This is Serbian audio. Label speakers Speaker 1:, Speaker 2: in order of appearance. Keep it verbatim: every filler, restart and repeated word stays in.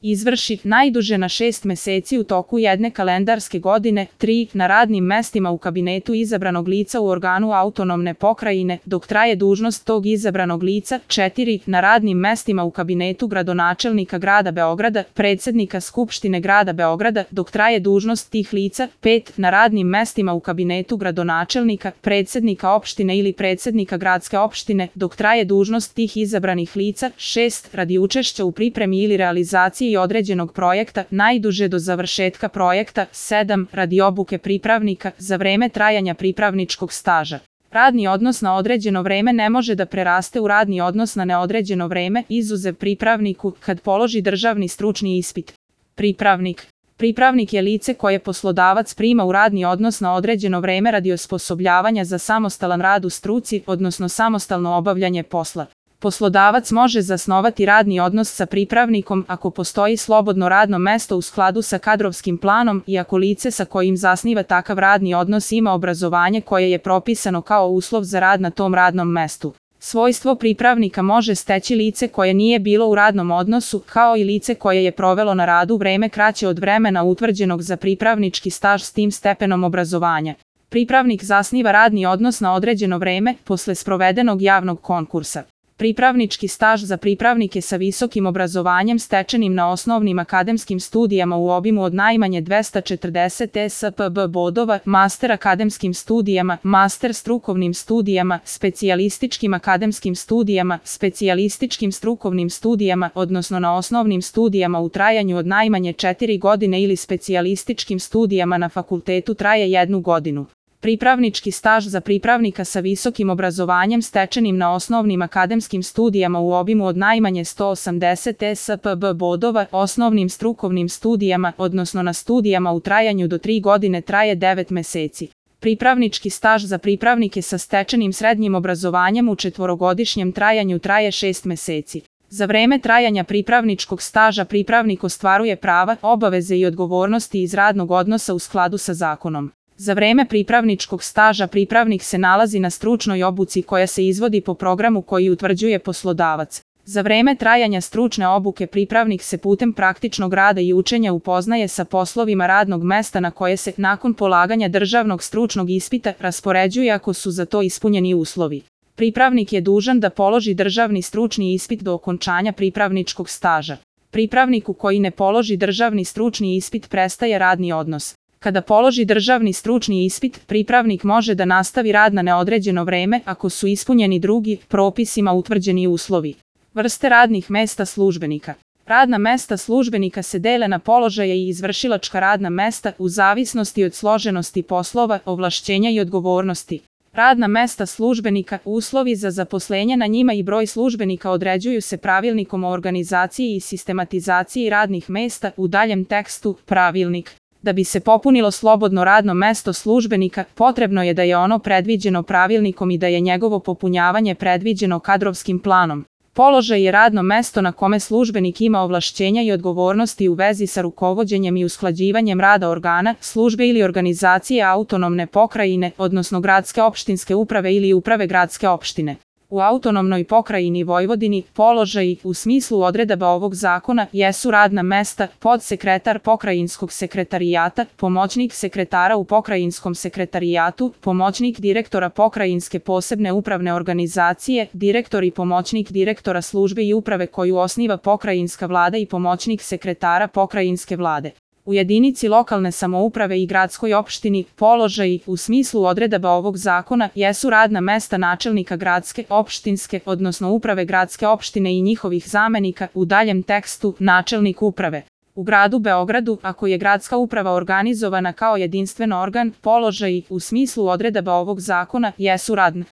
Speaker 1: izvrši najduže na šest meseci u toku jedne kalendarske godine, tri na radnim mestima u kabinetu izabranog lica u organu autonomne pokrajine, dok traje dužnost tog izabranog lica, četiri na radnim mestima u kabinetu gradonačelnika grada Beograda, predsednika Skupštine grada Beograda, dok traje dužnost tih lica, pet na radnim mestima u kabinetu gradonačelnika, predsednika opštine ili predsednika gradske opštine, dok traje dužnost tih izabranih lica, šest radi učešća u pripremi ili realizaciji i određenog projekta, najduže do završetka projekta, sedam radi obuke pripravnika, za vreme trajanja pripravničkog staža. Radni odnos na određeno vreme ne može da preraste u radni odnos na neodređeno vreme, izuzev pripravniku, kad položi državni stručni ispit. Pripravnik. Pripravnik je lice koje poslodavac prima u radni odnos na određeno vreme radi osposobljavanja za samostalan rad u struci, odnosno samostalno obavljanje posla. Poslodavac može zasnovati radni odnos sa pripravnikom ako postoji slobodno radno mesto u skladu sa kadrovskim planom i ako lice sa kojim zasniva takav radni odnos ima obrazovanje koje je propisano kao uslov za rad na tom radnom mestu. Svojstvo pripravnika može steći lice koje nije bilo u radnom odnosu, kao i lice koje je provelo na radu vreme kraće od vremena utvrđenog za pripravnički staž s tim stepenom obrazovanja. Pripravnik zasniva radni odnos na određeno vreme posle sprovedenog javnog konkursa. Pripravnički staž za pripravnike sa visokim obrazovanjem stečenim na osnovnim akademskim studijama u obimu od najmanje dvesta četrdeset E S P B bodova, master akademskim studijama, master strukovnim studijama, specijalističkim akademskim studijama, specijalističkim strukovnim studijama, odnosno na osnovnim studijama u trajanju od najmanje četiri godine ili specijalističkim studijama na fakultetu traje jednu godinu. Pripravnički staž za pripravnika sa visokim obrazovanjem stečenim na osnovnim akademskim studijama u obimu od najmanje sto osamdeset E S P B bodova, osnovnim strukovnim studijama, odnosno na studijama u trajanju do tri godine traje devet meseci. Pripravnički staž za pripravnike sa stečenim srednjim obrazovanjem u četvorogodišnjem trajanju traje šest meseci. Za vreme trajanja pripravničkog staža pripravnik ostvaruje prava, obaveze i odgovornosti iz radnog odnosa u skladu sa zakonom. Za vreme pripravničkog staža pripravnik se nalazi na stručnoj obuci koja se izvodi po programu koji utvrđuje poslodavac. Za vreme trajanja stručne obuke pripravnik se putem praktičnog rada i učenja upoznaje sa poslovima radnog mesta na koje se, nakon polaganja državnog stručnog ispita, raspoređuje ako su za to ispunjeni uslovi. Pripravnik je dužan da položi državni stručni ispit do okončanja pripravničkog staža. Pripravniku koji ne položi državni stručni ispit prestaje radni odnos. Kada položi državni stručni ispit, pripravnik može da nastavi rad na neodređeno vreme ako su ispunjeni drugi, propisima utvrđeni uslovi. Vrste radnih mesta službenika. Radna mesta službenika se dele na položaje i izvršilačka radna mesta u zavisnosti od složenosti poslova, ovlašćenja i odgovornosti. Radna mesta službenika, uslovi za zaposlenje na njima i broj službenika određuju se pravilnikom o organizaciji i sistematizaciji radnih mesta, u daljem tekstu, pravilnik. Da bi se popunilo slobodno radno mesto službenika, potrebno je da je ono predviđeno pravilnikom i da je njegovo popunjavanje predviđeno kadrovskim planom. Položaj je radno mesto na kome službenik ima ovlašćenja i odgovornosti u vezi sa rukovođenjem i usklađivanjem rada organa, službe ili organizacije autonomne pokrajine, odnosno gradske opštinske uprave ili uprave gradske opštine. U autonomnoj pokrajini Vojvodini, položaji, u smislu odredaba ovog zakona, jesu radna mesta, podsekretar pokrajinskog sekretarijata, pomoćnik sekretara u pokrajinskom sekretarijatu, pomoćnik direktora pokrajinske posebne upravne organizacije, direktor i pomoćnik direktora službe i uprave koju osniva pokrajinska vlada i pomoćnik sekretara pokrajinske vlade. U jedinici lokalne samouprave i gradskoj opštini, položaji, u smislu odredaba ovog zakona, jesu radna mesta načelnika gradske, opštinske, odnosno uprave gradske opštine i njihovih zamenika, u daljem tekstu, načelnik uprave. U gradu Beogradu, ako je gradska uprava organizovana kao jedinstven organ, položaji, u smislu odredaba ovog zakona, jesu radna